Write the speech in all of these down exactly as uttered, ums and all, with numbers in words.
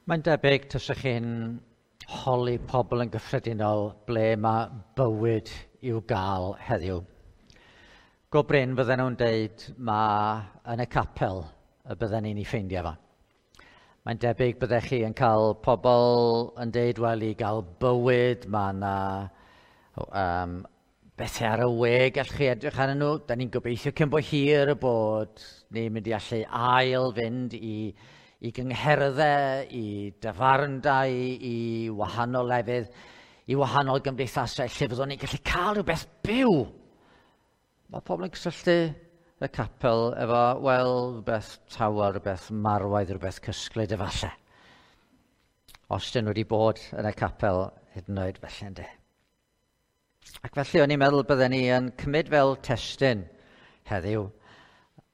Mae'n debyg tasech chi'n holi pobl yn gyffredinol ble mae bywyd i'w gael heddiw. Go brin fydden nhw'n deud mae yn y capel y bydden ni'n ei ffeindio fo. Mae'n debyg byddech chi yn cael pobl yn deud, wel, i gael bywyd, mae yna um, bethau ar y we gallwch chi edrych arnyn nhw. Da ni'n gobeithio cyn bo hir bod ni'n mynd i allu ail fynd i i gyngherddau, i dafarndai, i wahanol lefydd, i wahanol gymdeithasau, lle fyddwn ni'n gallu cael rhywbeth byw. Mae pobl yn cysylltu y capel efo, wel, rhywbeth tawel, rhywbeth marwaidd, rhywbeth cysglyd efallai. Os dyn nhw wedi bod yn y capel hyd yn oed felly, ynddi. Ac felly o'n i'n meddwl bydden ni yn cymryd fel testun heddiw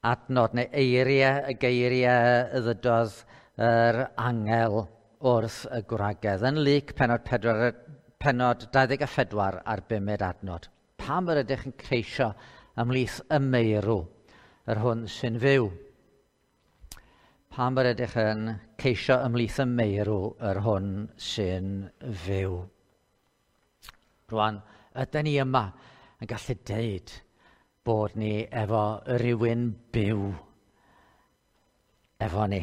adnod neu eiriau, y geiriau y ddydodd yr angel wrth y gwragedd. Yn Luc pennod, pedwar, pennod dau ddeg a phedwar a'r bumed adnod. Pam yr ydych yn ceisio ymhlith y meirw, yr hwn sy'n fyw? Pam yr ydych yn ceisio ymhlith y meirw, yr hwn sy'n fyw? Rwan, ydyn ni yma yn gallu deud bod ni efo rhywun byw efo ni.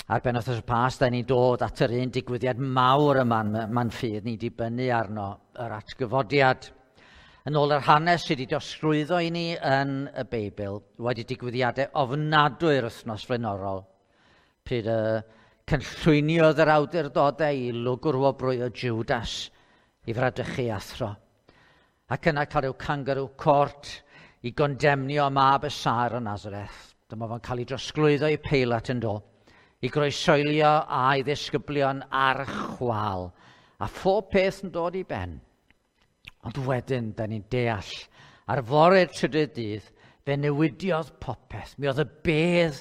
Ar benwythnos y Pasg, da ni'n dod at yr un digwyddiad mawr yma, ma'n ffydd ni'n dibynnu arno, yr atgyfodiad. Yn ôl yr hanes sydd wedi dosgrwyddo i ni yn y Beibl, wedi digwyddiadau ofnadwy'r wythnos flaenorol, pryd y cynllwyniodd yr awdurdodau i lwgrwobrwyo Judas i fradychu athro. Ac yna cael rhyw kangaroo court i gondemnio mab y saer o Nazareth. Dyma fo'n cael ei drosglwyddo i Peilat yn do, i groesoelio a'i ddisgyblion ar chwâl, a phob peth yn dod i ben. Ond wedyn, da ni'n deall, ar fore'r trydydd dydd, fe newidiodd popeth. Mi oedd y bedd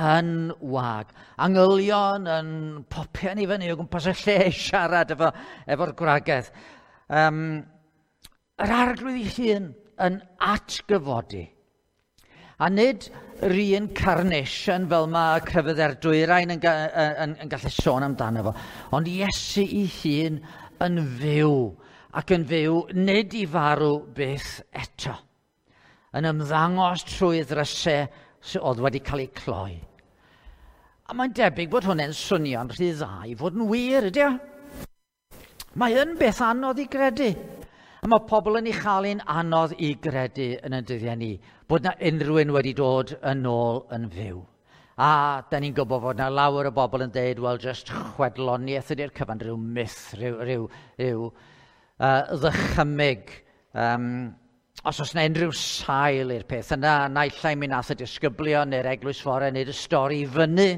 yn wag. Angylion yn popian i fyny o gwmpas y lle i siarad efo, efo'r gwragedd. Um, yr arglwydd ei hun yn atgyfodi. A nid reincarnation fel mae crefyddau'r dwyrain yn, yn, yn gallu sôn amdano fo, ond Iesu ei hun yn fyw, ac yn fyw nid i farw byth eto. Yn ymddangos trwy ddrysau oedd wedi cael eu cloi. A mae'n debyg bod hwnna'n swnio'n rhy dda i fod yn wir, ydy o? Mae yn beth anodd i gredu. A mae pobl yn ei chael hi'n anodd i gredu yn y dyddiau ni bod na unrhyw un wedi dod yn ôl yn fyw. A da ni'n gwybod fod na lawer o bobl yn deud, wel, just chwedloniaeth ydy'r cyfan, rhyw myth, rhyw, rhyw, rhyw uh, ddychymyg. Um, os oes na unrhyw sail i'r peth, yna naill ai mi nath y disgyblion neu'r eglwys fore neu'r stori fyny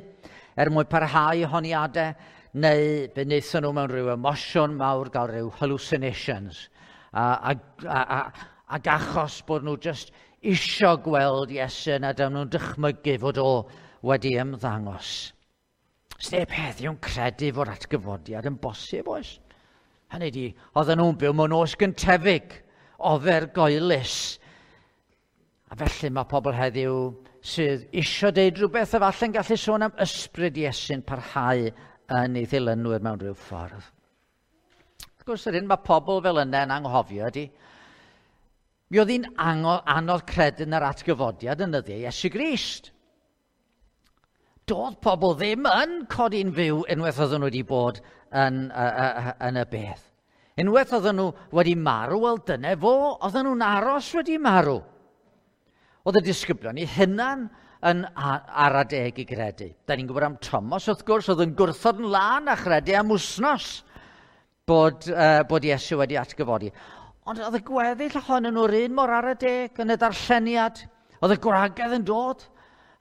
er mwyn parhau honiadau, neu fe wnaethon nhw mewn rhyw emosiwn mawr gael rhyw hallucinations. A, a, a, a, ac achos bod nhw just isio gweld Iesu yna, dyma nhw'n dychmygu fod o wedi ymddangos. Sneb heddiw'n credu fod atgyfodiad yn bosib, oes? Hynny di, oedden nhw'n byw mewn oes gyntefig, ofergoelus. A felly mae pobl heddiw sydd isio deud rhywbeth efallai'n gallu sôn am ysbryd Iesu'n parhau yn ei ddilynwyr mewn rhyw ffordd. Wrth gwrs, yr hyn mae pobl fel yna yn anghofio ydy, mi oedd hi'n anodd credu yn yr atgyfodiad yn nyddiau Iesu Grist. Doedd pobl ddim yn codi'n fyw unwaith oedden nhw wedi bod yn, uh, yn y bedd. Unwaith oedden nhw wedi marw, wel dyna fo, oedden nhw'n aros wedi marw. Oedd y disgyblion eu hunan yn ar adeg i gredu. Da ni'n gwybod am Thomas, wrth gwrs, oedd yn gwrthod yn lân a chredu am wsnos bod, uh, bod Iesu wedi atgyfodi. Ond oedd y gweddill ohonyn nhw'r un mor ar y deg yn y darlleniad. Oedd y gwragedd yn dod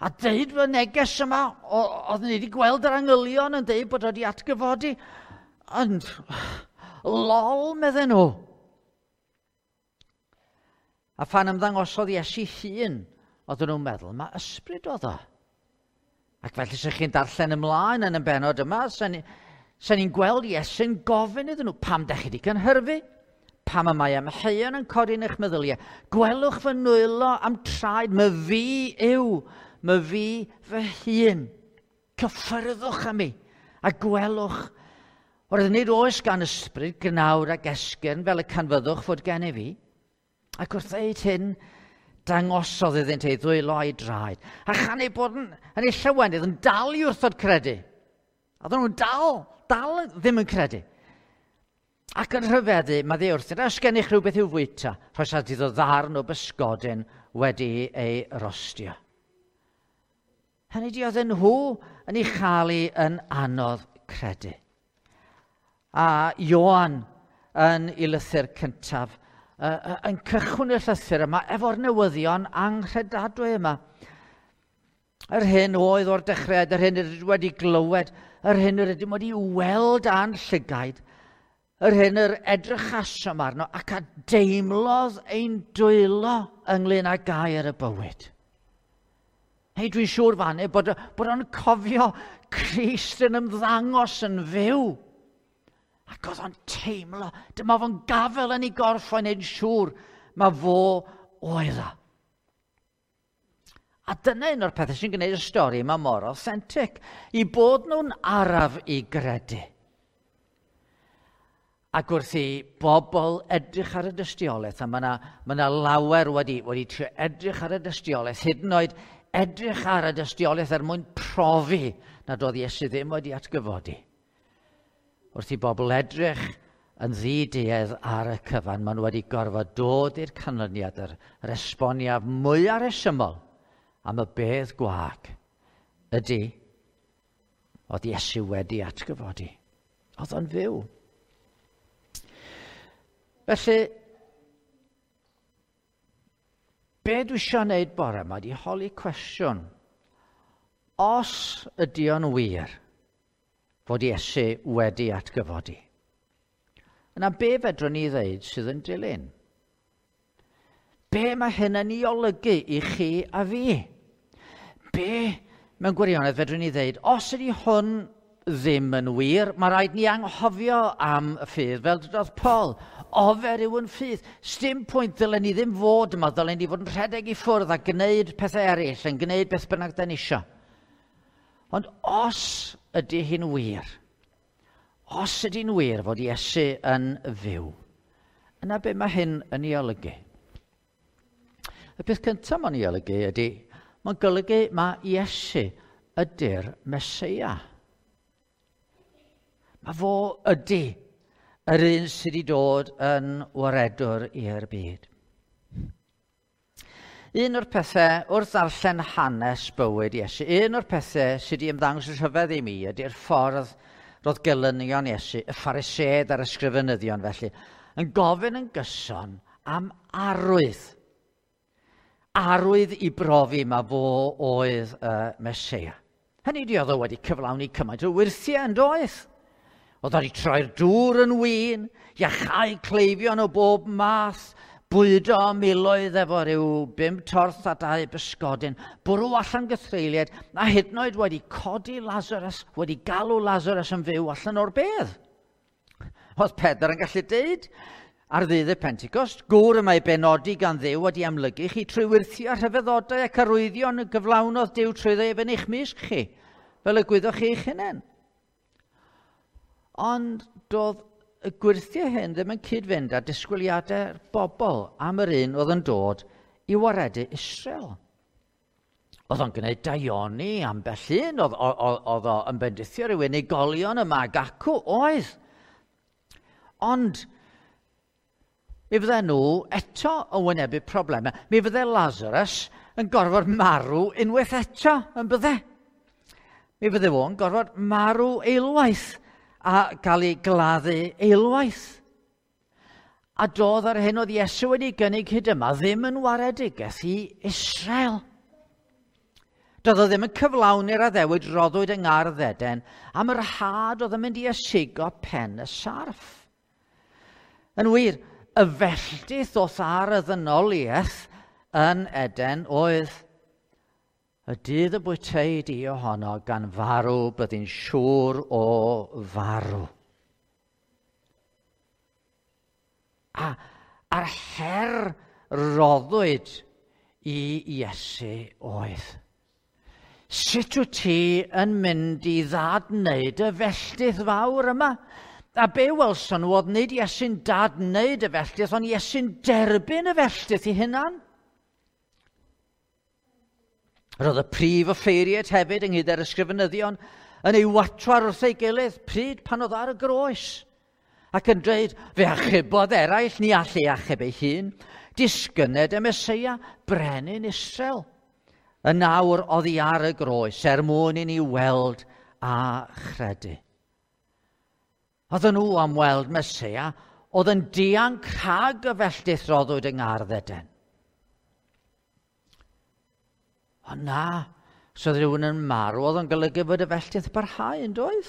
a deud fy neges yma, oedd ni wedi gweld yr angylion yn deud bod wedi atgyfodi. Ond lol, medden nhw. A phan ymddangosodd Iesu hun, oedden nhw'n meddwl, mae ysbryd oedd o. Ac felly sa'ch chi'n darllen ymlaen yn y bennod yma, sa'n ni'n gweld Iesu'n gofyn iddyn nhw, pam dach chi wedi cynhyrfu? Pam y mae amheuon yn codi yn eich meddyliau? Gwelwch fy nwylo am traed, my fi yw, my fi fy hun. Cyffyrddwch â mi, A gwelwch, oherwydd nid oes gan ysbryd gnawd ac esgyrn fel y canfyddwch fod gennyf fi. Ac wrth ddeud hyn, dangosodd iddynt ei ddwylo a'i draed. A chan ei bod yn, yn ei llawenydd yn dal i wrthod credu. A oedden nhw'n dal, dal ddim yn credu. Ac yn rhyfeddu, mae ddi wrthyn, oes gennych rhywbeth i'w fwyta? Rhoesant iddo ddarn o bysgodyn wedi ei rostio. Hynny di, oedden nhw yn ei chael hi yn anodd credu. A Ioan yn ei lythyr cyntaf, yn cychwyn y llythyr yma efo'r newyddion anghredadwy yma. Yr hyn oedd o'r dechreuad, yr hyn yr ydym wedi glywed, yr hyn yr ydym wedi weld a'n llygaid, yr hyn yr edrychasom arno ac a deimlodd ein dwylo ynglyn â gair y bywyd. Hei, dwi'n siŵr fannu bod, bod o'n cofio Crist yn ymddangos yn fyw. Ac oedd o'n teimlo, dyma fo'n gafel yn ei gorff o'n neud siŵr mae fo oedd o. A dyna un o'r pethau sy'n gwneud y stori yma mor authentic, i bod nhw'n araf i gredu. Ac wrth i bobl edrych ar y dystiolaeth, a mae yna ma 'na lawer wedi, wedi trio edrych ar y dystiolaeth, hyd yn oed edrych ar y dystiolaeth er mwyn profi nad oedd Iesu ddim wedi atgyfodi. Wrth i bobl edrych yn ddiduedd ar y cyfan, maen nhw wedi gorfod dod i'r canlyniad, yr, yr esboniad mwyaf rhesymol am y bedd gwag ydy, oedd Iesu wedi atgyfodi. Oedd o'n fyw. Felly, be dwi eisiau gwneud bore yma ydy holi cwestiwn. Os ydy o'n wir fod Iesu wedi atgyfodi, yna be fedrwn ni ddeud sydd yn dilyn? Be mae hyn yn ei olygu i chi a fi? Be mewn gwirionedd fedrwn ni ddeud, os ydy hwn ddim yn wir, mae rhaid ni anghofio am y ffydd, fel dydodd Paul, ofer yw yn ffydd. Sdim pwynt, ddylen ni ddim fod yma, ddylen ni fod yn rhedeg i ffwrdd a gwneud pethau eraill, yn gwneud beth bynnag da ni isio. Ond os ydy hi'n wir, os ydy'n wir fod Iesu yn fyw, yna be mae hyn yn ei olygu? Y peth cyntaf mae'n ei olygu ydy, mae'n golygu mae Iesu ydy'r Meseia. Mae fo ydy yr un sydd wedi dod yn waredwr i'r byd. Un o'r pethau wrth ddarllen hanes bywyd Iesu, un o'r pethau sydd wedi ymddangos yn rhyfedd i mi ydy'r ffordd roedd gelynion Iesu, y Phariseaid a'r ysgrifenyddion felly, yn gofyn yn gyson am arwydd. Arwydd i brofi mae fo oedd y Meseia. Hynny ydi, oedd o wedi cyflawni cymaint o wyrthiau yn doedd. Oedd wedi troi'r dŵr yn win, iachau cleifion o bob math, bwydo miloedd efo rhyw bum torth a dau bysgodyn, bwrw allan gythreuliaid, a hyd yn oed wedi codi Lazarus, wedi galw Lazarus yn fyw allan o'r bedd. Oedd Pedr yn gallu deud ar ddydd y Pentecost, gŵr yma ei benodi gan Dduw wedi amlygu chi trwy wyrthio rhyfeddodau ac arwyddion y gyflawnodd Duw trwy ef yn eich mysg chi, fel y gwyddoch chi eich hunain. Ond doedd y gwyrthiau hyn ddim yn cyd-fynd â disgwyliadau'r bobl am yr un oedd yn dod i waredu Israel. Oedd o'n gwneud daioni ambell un, oedd, oedd, oedd o yn bendithio rhyw unigolion yma ac acw, oedd. Ond mi fydde nhw eto yn wynebu problemau. Mi fydde Lazarus yn gorfod marw unwaith eto, yn bydde. Mi fydde fo'n gorfod marw eilwaith a gael ei gladdu eilwaith. A doedd ar hyn oedd Iesu wedi gynnig hyd yma ddim yn waredigaeth i Israel. Doedd o ddim yn cyflawni'r addewid roddwyd yng Ngardd Eden am yr had oedd yn mynd i ysigo pen y sarff. Yn wir, y felltith o'th ar y ddynoliaeth yn Eden oedd y dydd y bwytei di ohono gan farw byddi'n siŵr o farw. A a'r her roddwyd i Iesu oedd. Sut wyt ti yn mynd i ddadwneud y felltith fawr yma? A be welson nhw oedd nid Iesu'n dadwneud y felltith, ond Iesu'n derbyn y felltith i hunan. Roedd y prif offeiriaid hefyd ynghyd â'r ysgrifenyddion yn ei watwar wrth ei gilydd pryd pan oedd ar y groes. Ac yn dweud, fe achubodd eraill, ni all ei achub ei hun. Disgyned y Meseia, brenin Israel. Y nawr oddi ar y groes, er mwyn i ni weld a chredu. Oedden nhw am weld Meseia, oedd yn dianc rhag y felltith roddwyd yng Ngardd Eden. Ond na, os oedd rhywun yn marw, oedd yn golygu fod y felltith barhau yn doedd?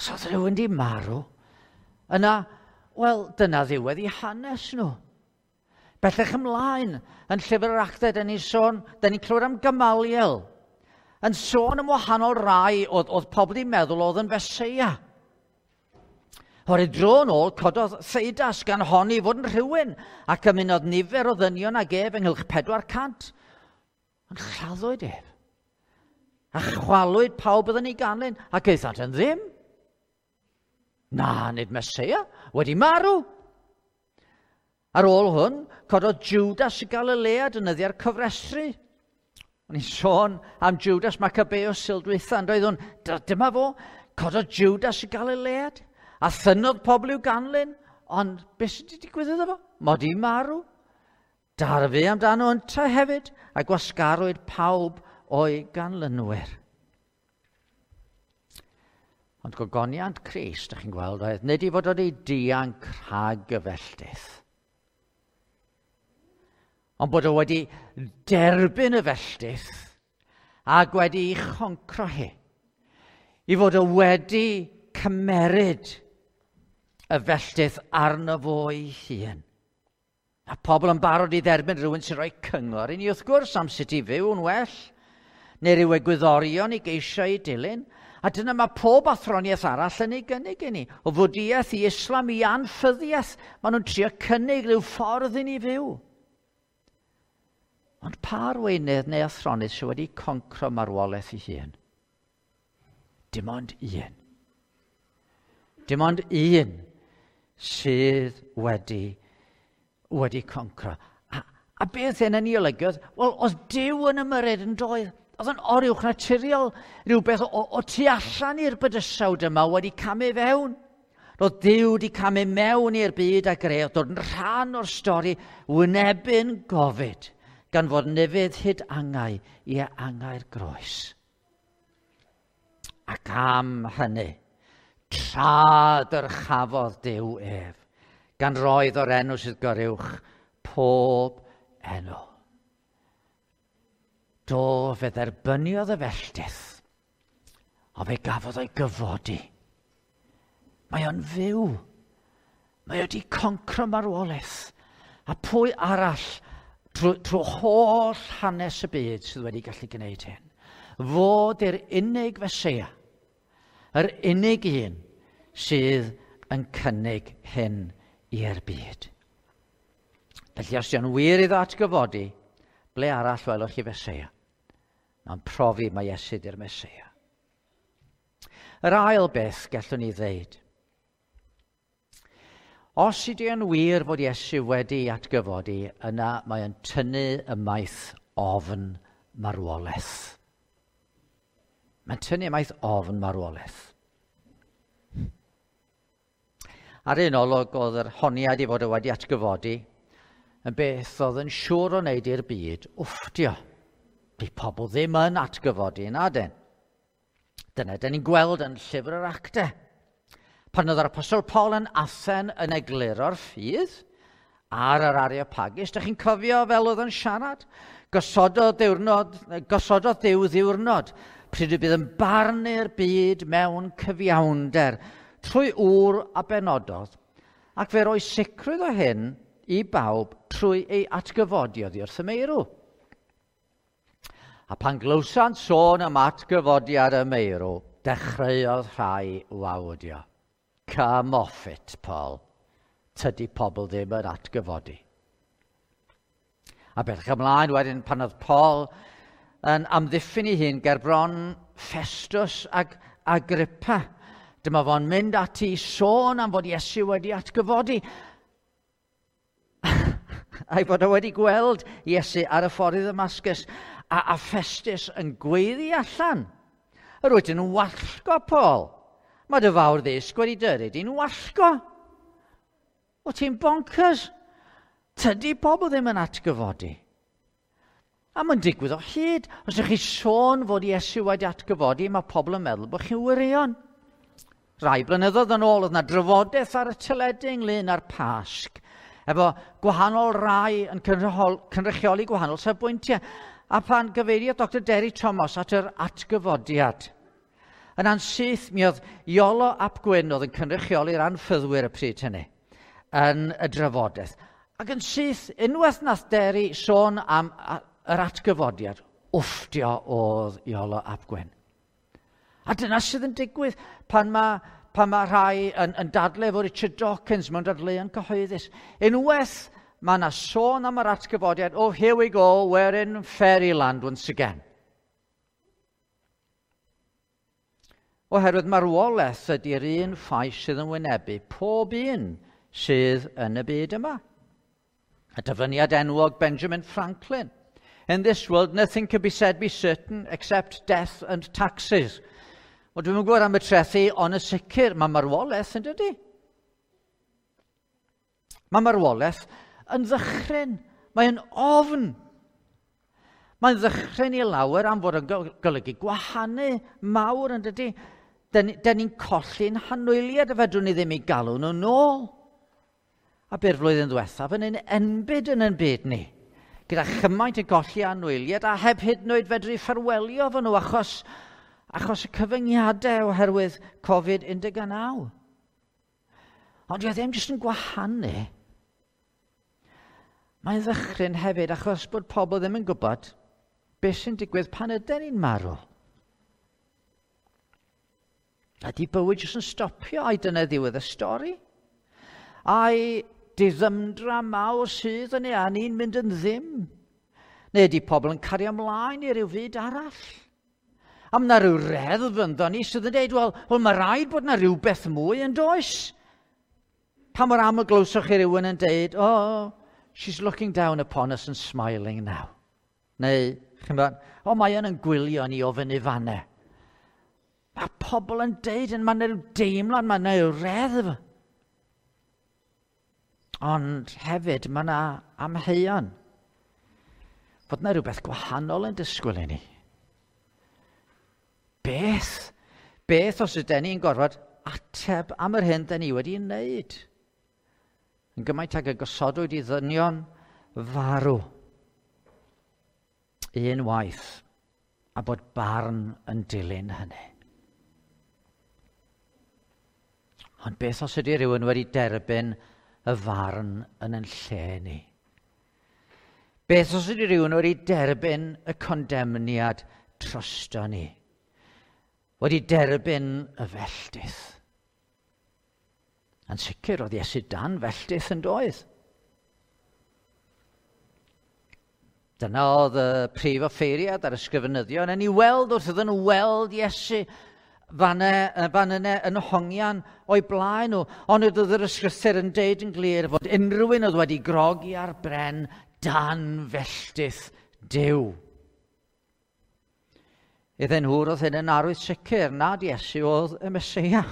Os oedd rhywun di marw, yna, wel, dyna ddiwedd i hanes nhw. Bellach ymlaen, yn llyfr yr Actau, da ni'n sôn, da ni'n clywed am Gamaliel, yn sôn am wahanol rai oedd, oedd pobl i'n meddwl oedd yn Feseia. O'r dro yn ôl, cododd Theudas gan honni fod yn rhywun, ac ymunodd nifer o ddynion ag ef ynghylch pedwar cant. Ond lladdwyd ef. A chwalwyd pawb oedd yn ei ganlyn, ac aethant yn ddim. Na, nid Meseia, wedi marw. Ar ôl hwn, cododd Judas y Galilead yn nyddiau'r cofrestru. O'n i'n sôn am Judas Maccabeus sil dwytha, yn doedd hwn, dyma fo, cododd Judas y Galilead, a thynnodd pobl i'w ganlyn, ond beth sydd wedi digwydd iddo fo? Mod i marw. Darfu amdano yntau hefyd, a gwasgarwyd pawb o'i ganlynwyr. Ond gogoniant Crist, ydych chi'n gweld, oedd nid i fod wedi dianc rhag y felltith, ond bod o wedi derbyn y felltith ac wedi ei choncro hi. I fod o wedi cymeryd y felltith arno fo ei hun. A pobl yn barod i dderbyn rhywun sy'n rhoi cyngor i ni wrth gwrs am sut i fyw yn well, neu ryw egwyddorion i geisio i dilyn. A dyna mae pob athroniaeth arall yn ei gynnig i ni. O Fwdiaeth i Islam i anffyddiaeth, maen nhw'n trio cynnig rhyw ffordd i ni fyw. Ond pa arweinydd neu athronydd sydd wedi concro marwolaeth ei hun? Dim ond un. Dim ond un sydd wedi, wedi concro. A, a beth hyn yn ei olygu? Wel, oedd Duw yn ymyrryd yn doedd. Oedd yn oruwch naturiol, rhywbeth o, o tu allan i'r bydysawd yma wedi camu fewn. Roedd Duw wedi camu mewn i'r byd a greu, dod yn rhan o'r stori wynebu'n gofid, gan fod nefydd hyd angau i angau'r groes. Ac am hynny, tra dyrchafodd Duw ef, gan roedd o'r enw sydd goruwch pob enw. Do, fe dderbyniodd y felltith, a fe gafodd o'i gyfodi. Mae o'n fyw. Mae o wedi concro marwolaeth. A pwy arall trwy, trwy holl hanes y byd sydd wedi gallu gwneud hyn? Fod i'r unig Feseia, yr unig un sydd yn cynnig hyn i'r byd. Felly os ydy'n wir iddo atgyfodi, ble arall welwch chi Feseia? Mae'n profi mae Iesu di'r Meseia. Yr ail beth gallwn ni ddeud. Os ydy yn wir fod Iesu wedi atgyfodi, yna mae yn tynnu ymaith ofn marwolaeth. Mae'n tynnu ymaith ofn marwolaeth. Ar un olwg oedd yr honiad i fod o wedi atgyfodi yn beth oedd yn siŵr o wneud i'r byd wfftio. Di pobl ddim yn atgyfodi na den. Dyna dyn ni'n gweld yn llyfr yr Actau. Pan oedd yr Apostol Paul yn Athen yn egluro'r ffydd ar yr Areopagus, dych chi'n cofio fel oedd yn siarad? Gosododd diwrnod, gosododd Duw ddiwrnod, pryd y bydd yn barnu'r byd mewn cyfiawnder, trwy ŵr a benododd, ac fe roi sicrwydd o hyn i bawb trwy ei atgyfodi oddi wrth y meirw. A pan glywsant sôn am atgyfodiad y meirw, dechreuodd rhai wawdio. Come off it, Paul. Tydi pobl ddim yn atgyfodi. A bellach ymlaen wedyn pan oedd Paul yn amddiffyn ei hun ger bron Festus ag Agrippa. Dyma fo'n mynd ati i sôn am fod Iesu wedi atgyfodi. A'i fod o wedi gweld Iesu ar y ffordd i Ddamascus a, a Festus yn gweiddi allan. Yr wyt yn wallgo, Paul. Mae dy fawr ddysg wedi dyrru di'n wallgo. O ti'n bonkers. Tydi pobl ddim yn atgyfodi. A mae'n digwydd o hyd. Os ydych chi sôn fod Iesu wedi atgyfodi, mae pobl yn meddwl bod chi'n wirion. Rai blynyddoedd yn ôl, oedd yna drafodaeth ar y teledu ynglyn â'r Pasg, efo gwahanol rai yn cynrychioli gwahanol safbwyntiau. A pan gyfeiriodd Doctor Derry Thomas at yr atgyfodiad, yna'n syth mi oedd Iolo ap Gwyn oedd yn cynrychioli'r anffyddwyr y pryd hynny yn y drafodaeth. Ac yn syth, unwaith nath Derry sôn am yr atgyfodiad, wfftio oedd Iolo ap Gwyn. A dyna sydd yn digwydd pan mae, pan mae rhai yn, yn dadlau efo Richard Dawkins mewn dadleuon cyhoeddus. Unwaith mae yna sôn am yr atgyfodiad, oh, here we go, we're in fairyland once again. Oherwydd marwolaeth ydy'r un ffaith sydd yn wynebu pob un sydd yn y byd yma. Y dyfyniad enwog Benjamin Franklin. In this world, nothing can be said be certain except death and taxes. Wel, dwi'm yn gwybod am y trethi, ond yn sicr, mae marwolaeth yn dydy. Mae marwolaeth yn ddychryn. Mae'n ofn. Mae'n ddychryn i lawer am fod yn golygu gwahanu mawr yn dydy. Den ni'n colli'n hanwyliad a fedrwn ni ddim i galw nhw nôl. A bu'r flwyddyn ddiwethaf yn un enbyd yn ein byd ni. Gyda chymaint yn golli anwyliad a heb hyd yn oed fedru ffarwelio fo nhw achos, achos y cyfyngiadau oherwydd Covid un deg naw. Ond dwi ddim jyst yn gwahanu. Mae'n ddychryn hefyd achos bod pobl ddim yn gwybod beth sy'n digwydd pan ydyn ni'n marw. Ydy bywyd jyst yn stopio, ai dyna ddiwedd y stori? Ai diddymdra mawr sydd yn ei, a ni'n mynd yn ddim? Neu ydy pobl yn cario ymlaen i ryw fyd arall? A mae yna rhyw reddf ynddo ni sydd yn dweud, wel, wel mae rhaid bod yna rhywbeth mwy yn does? Pa mor aml glywsoch chi rhywun yn dweud, oh, she's looking down upon us and smiling now. Neu, chi'n bod, oh, mae yn yn gwylio ni o fyny fanne. Mae pobl yn deud, yn mae yna rhyw deimlad, mae yna rhyw reddf. Ond hefyd, mae yna amheuon fod yna rhywbeth gwahanol yn disgwyl i ni. Beth? Beth os ydyn ni'n gorfod ateb am yr hyn dyn ni wedi wneud? Yn gymaint ag y gosodwyd i ddynion farw. Un waith, a bod barn yn dilyn hynny. Ond beth os ydy rhywun wedi derbyn y farn yn yn lle ni? Beth os ydy rhywun wedi derbyn y condemniad drosto ni? Wedi derbyn y felltith? Yn sicr oedd Iesu dan felltith yn doedd. Dyna oedd y prif offeiriad a'r ysgrifenyddion yn ei weld wrth iddyn nhw weld Iesu fan yna yn hongian o'i blaen nhw. Ond oedd yr ysgrythur yn deud yn glir fod unrhyw un oedd wedi grogi ar bren dan felltith Duw. Iddyn nhw roedd hyn yn arwydd sicr nad Iesu oedd y Meseia.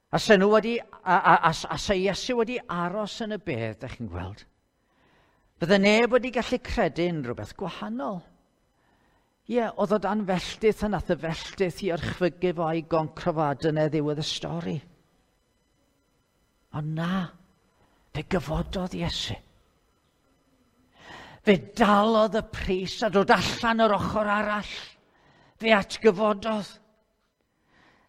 A se nhw wedi, a, a, a, a se Iesu wedi aros yn y bedd, ydych chi'n gweld, fydde neb wedi gallu credu unrhyw beth gwahanol. Ie, yeah, oedd o dan felltith a nath y felltith i orchfygu fo a'i goncro fo, a dyna ddiwedd y stori. Ond na, fe gyfododd Iesu. Fe dalodd y pris a dod allan yr ochr arall. Fe atgyfododd.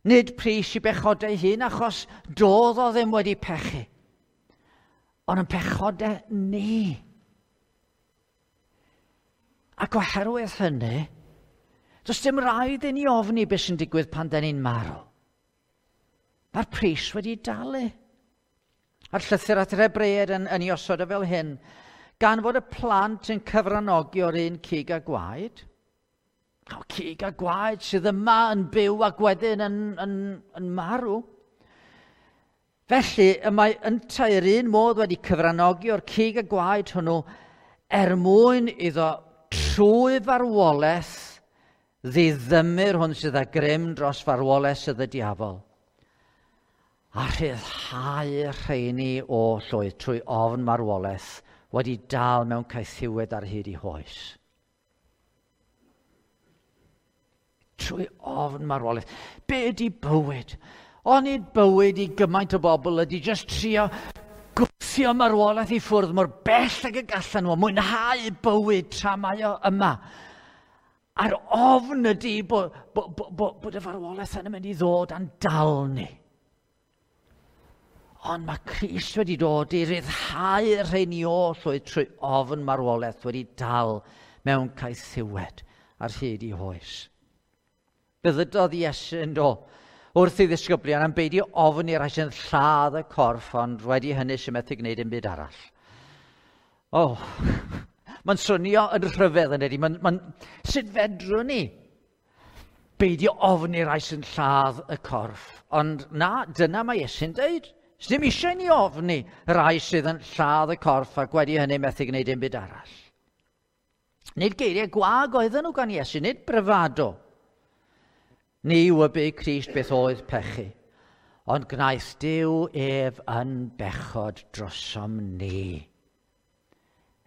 Nid pris i bechodau hun, achos doedd o ddim wedi pechu, ond yn pechodau ni. Ac oherwydd hynny, does dim rhaid i ni ofni beth sy'n digwydd pan dan ni'n marw. Mae'r pris wedi dalu. A'r llythyr at yr Hebreaid yn, yn ei osod o fel hyn. Gan fod y plant yn cyfranogi o'r un cig a gwaed, o cig a gwaed sydd yma yn byw ac wedyn yn, yn, yn marw. Felly, y mae yntau yr un modd wedi cyfranogi o'r cig a gwaed hwnnw er mwyn iddo trwy farwolaeth ddiddymu'r hwn sydd â grym dros farwolaeth sydd y diafol. A rhyddhau'r rheini oll oedd trwy ofn marwolaeth wedi dal mewn caethiwed ar hyd ei hoes. Trwy ofn marwolaeth. Be ydy bywyd? Onid bywyd i gymaint o bobl ydy jyst trio gwthio marwolaeth i ffwrdd mor bell ag y gallan nhw, mwynhau bywyd tra mae o yma. A'r ofn ydy bod, bod, bod, bod y farwolaeth yn mynd i ddod a'n dal ni. Ond mae Crist wedi dod i ryddhau'r rheini oll oedd trwy ofn marwolaeth wedi dal mewn caethiwed ar hyd ei hoes. Fe ddydodd Iesu yn do wrth ei ddisgyblion am beidio ofn i'r rhai sy'n lladd y corff, ond wedi hynny sy'n methu gwneud dim byd arall. O, oh, mae'n swnio yn rhyfedd yn ydy. Mae'n, mae'n, sut fedrwn ni beidio ofn i'r rhai sy'n lladd y corff? Ond na, dyna mae Iesu'n deud. Sdim eisiau ni ofni rai sydd yn lladd y corff ac wedi hynny methu gwneud dim byd arall. Nid geiriau gwag oedden nhw gan Iesu, nid bravado. Ni wybu Crist beth oedd pechu, ond gwnaeth Duw ef yn bechod drosom ni,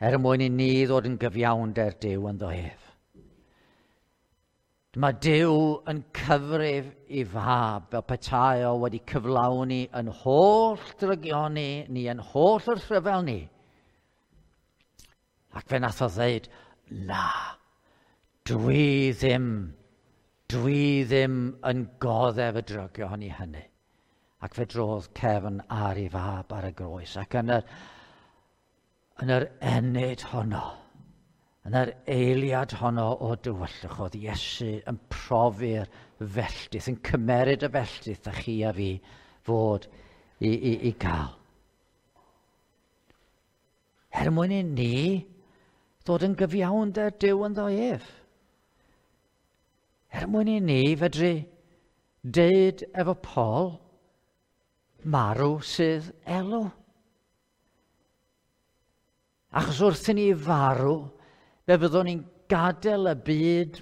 er mwyn i ni ddod yn gyfiawnder Duw ynddo ef. Dyma Duw yn cyfrif i fab fel petai o wedi cyflawni yn holl drygioni ni, yn holl wrthryfel ni. Ac fe nath o ddeud, na, dwi ddim, dwi ddim yn goddef y drygioni hynny. Ac fe drodd cefn ar ei fab ar y groes. Ac yn yr, yn yr ennyd honno, yn yr eiliad honno o dywyllwch, oedd Iesu yn profi'r felltith, yn cymeryd y felltith a chi a fi fod i, i, i gael. Er mwyn i ni ddod yn gyfiawnder Duw ynddo ef. Er mwyn i ni fedru deud efo Paul, marw sydd elw. Achos wrth i ni farw, fe fyddwn ni'n gadael y byd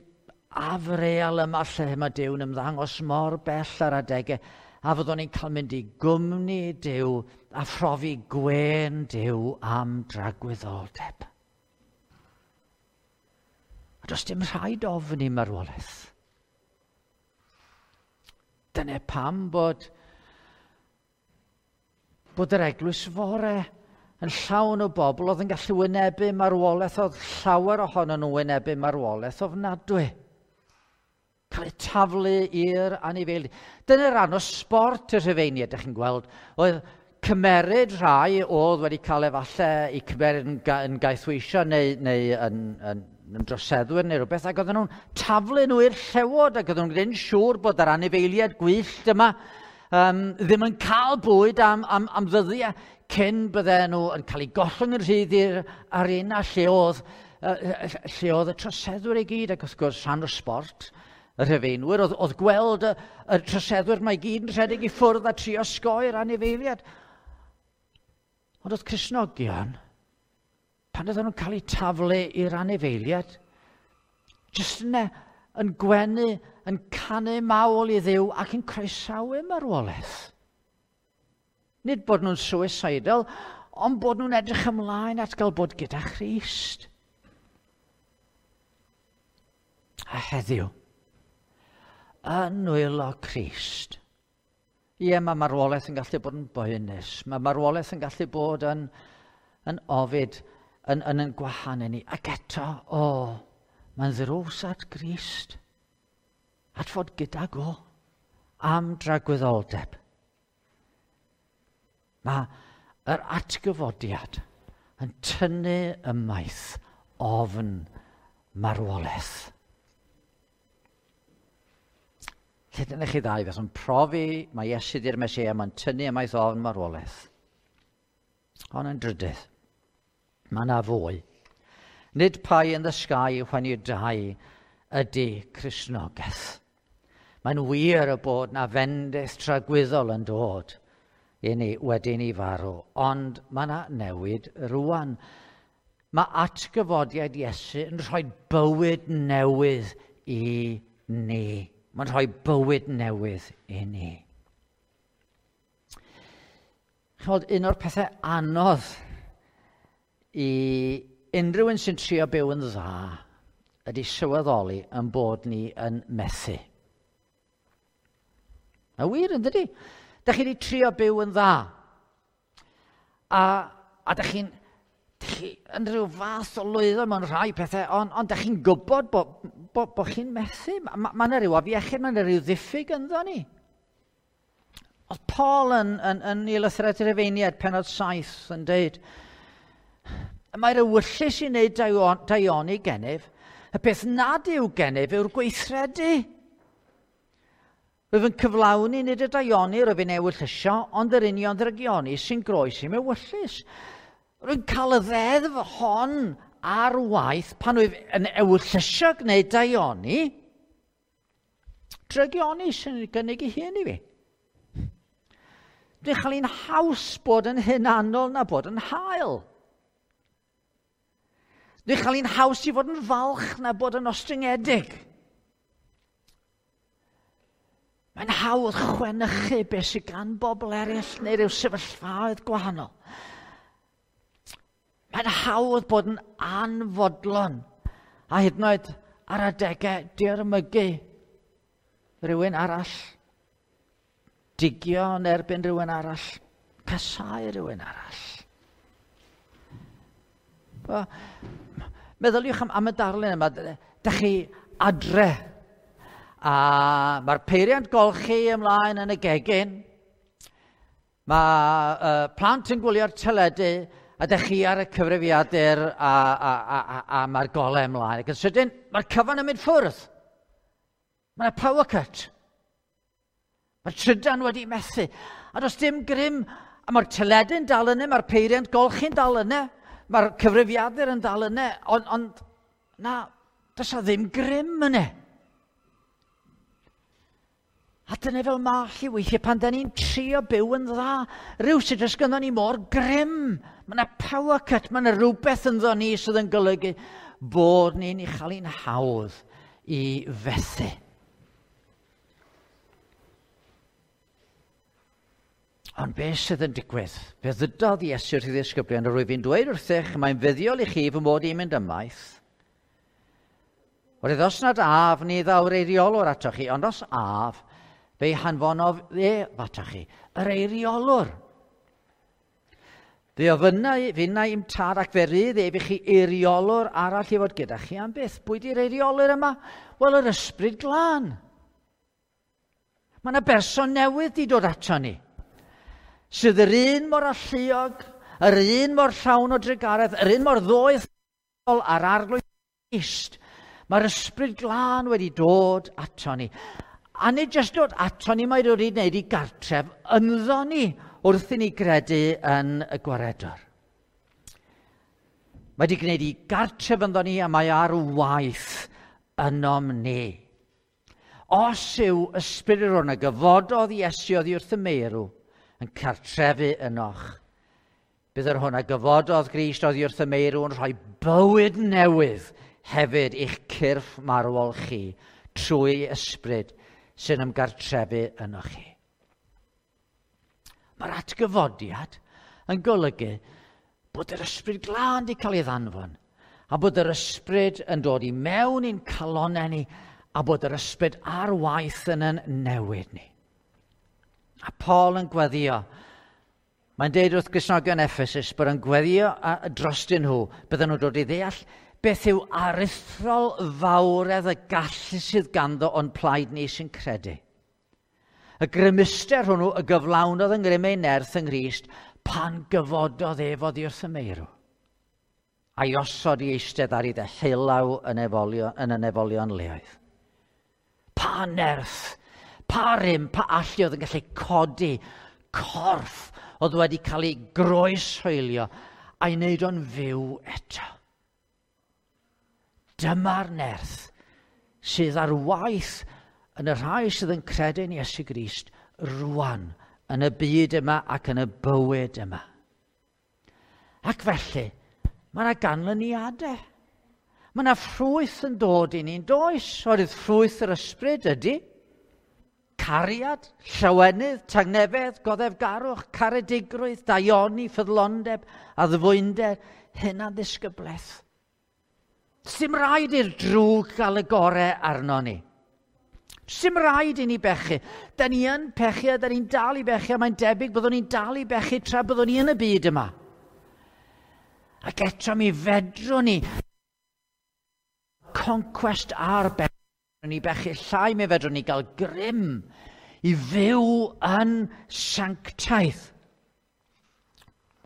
afreal yma lle mae Duw'n ymddangos mor bell ar adegau, a fyddwn ni'n cael mynd i gwmni Duw a phrofi gwên Duw am dragwyddoldeb. A does dim rhaid ofni marwolaeth. Dyna pam bod, bod yr eglwys fore yn llawn o bobl oedd yn gallu wynebu marwolaeth, oedd llawer ohonyn nhw wynebu marwolaeth ofnadwy. Cael eu taflu i'r anifeiliaid. Dyna rhan o sbort y Rhufeiniaid, ydych chi'n gweld, oedd cymeryd rhai oedd wedi cael efallai i cymeryd yn, ga, yn gaethweisio neu, neu yn, yn, yn droseddwyr neu rhywbeth, ac oedden nhw'n taflu nhw i'r llewod, ac oedden nhw'n gwneud yn siŵr bod yr anifeiliaid gwyllt yma um, ddim yn cael bwyd am, am, am ddyddiau cyn bydden nhw yn cael eu gollwng yn rhydd i'r arena lle oedd, lle oedd y troseddwyr i gyd, ac wrth gwrs rhan o sbort y Rhufeinwyr oedd, oedd gweld y, y troseddwyr mae gyd yn rhedeg i ffwrdd a trio osgoi'r anifeiliaid. Ond oedd Cristnogion, pan oedden nhw'n cael eu taflu i'r anifeiliaid, jyst yna yn gwenu, yn canu mawl i Dduw ac yn croesawu marwolaeth. Nid bod nhw'n suicidal, ond bod nhw'n edrych ymlaen at gael bod gyda Christ. A heddiw, yn nwylo Crist, ie, mae marwolaeth yn gallu bod yn boenus, mae marwolaeth yn gallu bod yn, yn ofid, yn, yn, yn gwahanu ni. Ac eto, o, mae'n ddrws at Grist, at fod gydag o, am dragwyddoldeb. Mae yr atgyfodiad yn tynnu ymaith ofn marwolaeth. Lle dyna chi ddau beth, yn profi mae Iesu di'r Meseia, mae'n tynnu ymaith ofn marwolaeth. Ond yn drydydd, Mae yna fwy. Nid pie in the sky when you die ydy Cristnogaeth. Mae'n wir y bod na fendith tragwyddol yn dod i ni wedi ni farw, ond mae yna newid rwan. Mae atgyfodiad Iesu yn rhoi bywyd newydd i ni. Mae'n rhoi bywyd newydd i ni. Chymod, un o'r pethau anodd i unrhyw un sy'n trio byw yn dda ydy sylweddoli yn bod ni yn methu. Mae wir yn dydy. Da chi wedi trio byw yn dda. A, a da chi'n chi yn rhyw fath o lwyddo mewn rhai pethau, ond, ond da chi'n gwybod bod bo, bo chi'n methu. Mae ma yna rhyw afiechyd, mae yna rhyw ddiffyg ynddo ni. Oedd Paul yn, yn, yn ei lythyr at y Rufeiniaid, pennod saith, yn deud, mae'r ewyllys i wneud daioni gennyf, y peth nad yw gennyf yw'r gweithredu. Rwyf yn cyflawni nid y daioni rwyf yn ewyllysio, ond yr union ddrygioni sy'n groes i'm ewyllys. Rwy'n cael y ddeddf hon ar waith pan rwyf yn ewyllysio gwneud daioni, drygioni sy'n gynnig ei hun i fi. Dwi'n cael ein haws bod yn hunanol na bod yn hael. Dwi'n cael ein haws i fod yn falch na bod yn ostyngedig. Mae'n hawdd chwenychu beth sydd gan bobl eraill neu rhyw sefyllfaoedd gwahanol. Mae'n hawdd bod yn anfodlon a hyd yn oed ar adegau dirmygu rhywun arall, digio yn erbyn rhywun arall, casáu rhywun arall. Bo, meddyliwch am, am y darlun yma, da chi adre, a mae'r peiriant golchi ymlaen yn y gegin, mae uh, plant yn gwylio'r teledu, a da chi ar y cyfrifiadur a, a, a, a, a mae'r golau ymlaen. Ac yn sydyn, mae'r cyfan yn mynd ffwrdd. Mae yna power cut. Mae'r trydan wedi methu. A does dim grym. A mae'r teledu'n dal yna, mae'r peiriant golchi'n dal yna, mae'r cyfrifiadur yn dal yna, ond, ond na, does na ddim grym yna. A dyna fel ma chi weithiau pan da ni'n trio byw yn dda, rhyw sydd jyst gynnon ni mor grym. Mae yna power cut, mae yna rhywbeth ynddo ni sydd yn golygu bod ni'n ei chael ein hawdd i fethu. Ond beth sydd yn digwydd? Fe ddydodd Iesu wrth ei ddisgyblion, rwyf fi'n dweud wrthych, mae'n fuddiol i chi fy mod i'n mynd ymaith. Oherwydd os nad af, ni ddaw'r eiriolwr atoch chi, ond os af, fe'i hanfonodd ef atoch chi, yr eiriolwr. Fe ofynna finna i'm tad ac fe rydd ef i chi eiriolwr arall i fod gyda chi am byth. Pwy di'r eiriolwr yma? Wel, yr Ysbryd Glân. Mae yna berson newydd di dod ato ni, sydd yr un mor alluog, yr un mor llawn o drugaredd, yr un mor ddoeth a'r Arglwydd Crist. Mae'r Ysbryd Glân wedi dod ato ni. A nid jyst dod ato ni, mae dod i wneud i gartref ynddo ni wrth i ni gredu yn y Gwaredwr. Mae wedi gwneud i gartref ynddo ni a mae ar waith ynom ni. Os yw ysbryd yr hwn a gyfododd Iesu oddi wrth y meirw yn cartrefu ynoch, bydd yr hwn a gyfododd Grist oddi wrth y meirw yn rhoi bywyd newydd hefyd i'ch cyrff marwol chi trwy ysbryd sy'n ymgartrefu ynoch chi. Mae'r atgyfodiad yn golygu bod yr Ysbryd Glân wedi cael ei ddanfon, a bod yr Ysbryd yn dod i mewn i'n calonnau ni, a bod yr Ysbryd ar waith yn yn newid ni. A Paul yn gweddio, mae'n deud wrth Gristnogion Ephesus bod yn gweddio drostyn nhw, bydden nhw'n dod i ddeall beth yw aruthrol fawredd y gallu sydd ganddo o'n plaid ni sy'n credu. Y grymuster hwnnw y gyflawnodd yng ngrym ei nerth yng Nghrist pan gyfododd ef oddi wrth y meirw, a'i osod i eistedd ar ei ddeheulaw yn, efolio, yn y nefolion leoedd. Pa nerth, pa rym, pa allu oedd yn gallu codi corff oedd wedi cael ei groeshoelio a'i wneud o'n fyw eto. Dyma'r nerth sydd ar waith yn y rhai sydd yn credu'n Iesu Grist rwan yn y byd yma ac yn y bywyd yma. Ac felly, mae yna ganlyniadau. Mae yna ffrwyth yn dod i ni'n does, oherwydd ffrwyth yr ysbryd ydy. Cariad, llawenydd, tangnefedd, goddefgarwch, caredigrwydd, daioni, ffyddlondeb, addfwynder, hunanddisgyblaeth. Sdim rhaid i'r drwg gael y gorau arno ni. Sdim rhaid i ni bechu. Da ni yn pechu a da ni'n dal i bechu a mae'n debyg byddwn ni'n dal i bechu tra byddwn ni yn y byd yma. Ac eto mi fedrwn ni concwest ar bechu. Ni bechu llai, mi fedrwn ni gael grym i fyw yn sanctaidd.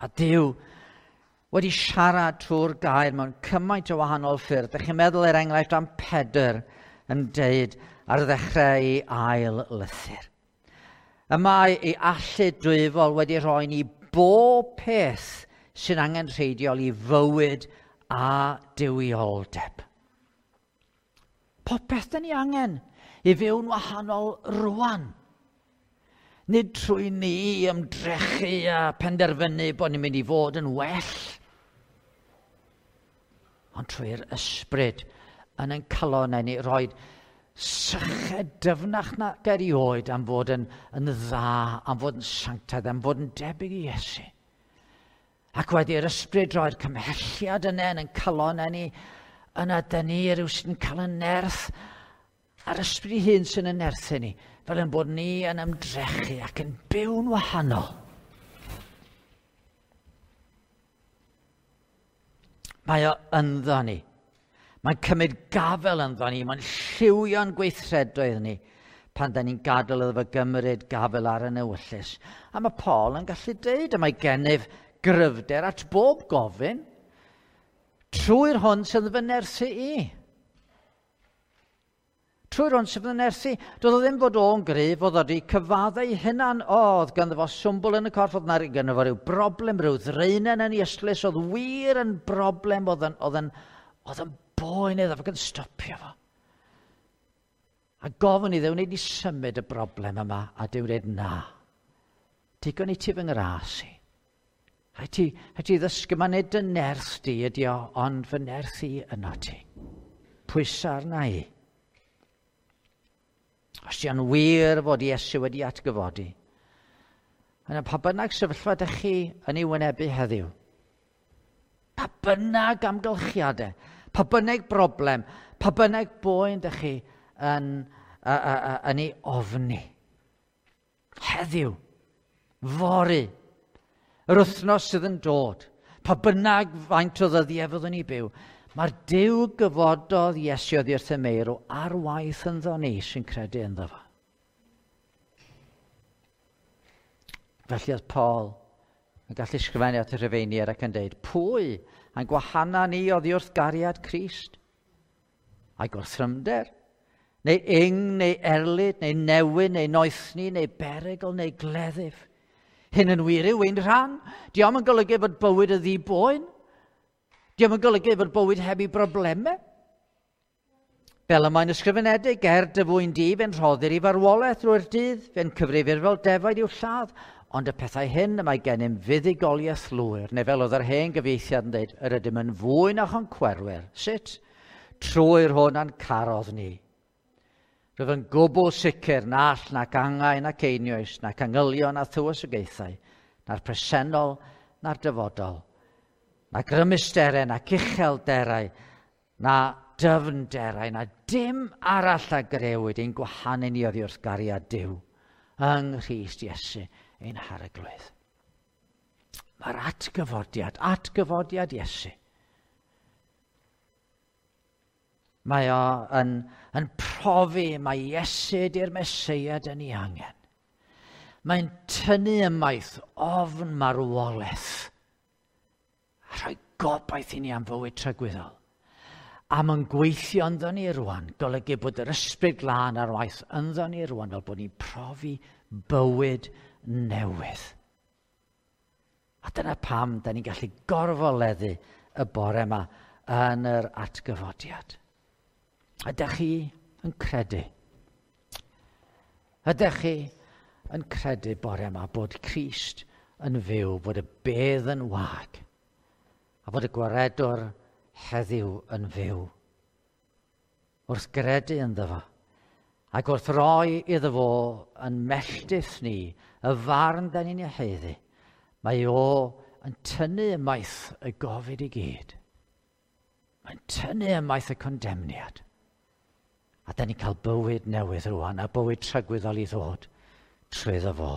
A Duw wedi siarad trwy'r gair mewn cymaint o wahanol ffyrdd. Dych chi'n meddwl er enghraifft am Pedr yn deud ar ddechrau ei ail lythyr. Y mae ei allu dwyfol wedi rhoi ni bob peth sy'n angenrheidiol i fywyd a duwioldeb. Popeth dyn ni angen i fyw'n wahanol rwan. Nid trwy ni ymdrechu a penderfynu bod ni'n mynd i fod yn well, ond trwy'r ysbryd yn ein calonnau ni rhoi syched dyfnach nag erioed am fod yn, yn dda, am fod yn sanctaidd, am fod yn debyg i Iesu. Ac wedi'r ysbryd roi'r cymhelliad yna yn ein calonnau ni, yna dyn ni rhyw sy'n cael y nerth, a'r ysbryd ei hun sy'n yn nerthu ni, fel yn bod ni yn ymdrechu ac yn byw'n wahanol. Mae o ynddo ni. Mae'n cymryd gafel ynddo ni, mae'n lliwio'n gweithredoedd ni pan da ni'n gadael iddo fo gymryd gafel ar yn ewyllys. A mae Paul yn gallu deud, y mae gennyf gryfder at bob gofyn, trwy'r hwn sydd fy nerthu i. Trwy'r hwn sydd fy nerthu. Doedd o ddim fod o'n gryf, oedd o wedi cyfaddau ei hunan. O, oedd ganddo fo swmbwl yn y corff, oedd na ganddo fo ryw broblem, rhyw ddraenen yn ei ystlys, oedd wir yn broblem, oedd yn, oedd yn, oedd yn boen iddo fo, yn stopio fo. A gofyn i Dduw wneud i symud y broblem yma, a Duw dweud na. Digon i ti fy ngras i. Rhaid ti, rhaid ti ddysgu ma nid dy nerth di ydi o, ond fy nerth i yno ti. Pwysa arna i. Os di o'n wir fod Iesu wedi atgyfodi, yna pa bynnag sefyllfa dych chi yn ei wynebu heddiw, pa bynnag amgylchiadau, pa bynnag broblem, pa bynnag boen dych chi yn, a, a, a, yn ei ofni. Heddiw, fory, yr wythnos sydd yn dod, pa bynnag faint o ddyddiau fyddwn ni byw, mae'r Duw gyfododd Iesu oddi wrth y meirw ar waith ynddo ni sy'n credu ynddo fo. Felly oedd Paul yn gallu ysgrifennu at y Rhufeiniaid ac yn deud, pwy a'n gwahana ni oddi wrth gariad Crist? A'i gorthrymder? Neu ing, neu erlid, neu newyn, neu noethni, neu berygl, neu gleddyf. Hyn yn wir yw ein rhan. Dio'm yn golygu fod bywyd y ddi-boen. Dio'm yn golygu fod bywyd heb ei broblemau. Fel y mae'n ysgrifenedig, er dy fwyn di, fe'n rhoddir i farwolaeth drwy'r dydd, fe'n cyfrifir fel defaid i'w lladd. Ond y pethau hyn y mae gennym fuddugoliaeth lwyr, neu fel oedd yr hen gyfieithiad yn dweud, yr ydym yn fwy na choncwerwyr. Sut? Trwy'r hwn a'n carodd ni. Rwyf yn gwbl sicr na all nac angau nac einioes, nac angylion na thywysogaethau, na'r presennol na'r dyfodol, na grymusterau, nac uchelderau, na dyfnderau, na dim arall a grewyd ein gwahanu ni oddi wrth gariad Duw yng Nghrist Iesu ein harglwydd. Mae'r atgyfodiad, atgyfodiad Iesu, mae o yn, yn profi mae Iesu ydy'r Meseia dyn ni angen. Mae'n tynnu ymaith ofn marwolaeth a rhoi gobaith i ni am fywyd tragwyddol. A mae'n gweithio ynddo ni rwan, golygu bod yr ysbryd glân ar waith ynddo ni rwan, fel bod ni'n profi bywyd newydd. A dyna pam da ni'n gallu gorfoleddu y bore yma yn yr atgyfodiad. Ydych chi yn credu? Ydych chi yn credu bore yma bod Crist yn fyw, bod y bedd yn wag, a bod y gwaredwr heddiw yn fyw? Wrth gredu ynddo fo, ac wrth roi iddo fo yn melltith ni, y farn da ni'n ei haeddu, mae o yn tynnu ymaith y gofid i gyd. Mae'n tynnu ymaith y condemniad. A da ni'n cael bywyd newydd rwan, a bywyd tragwyddol i ddod trwyddo fo.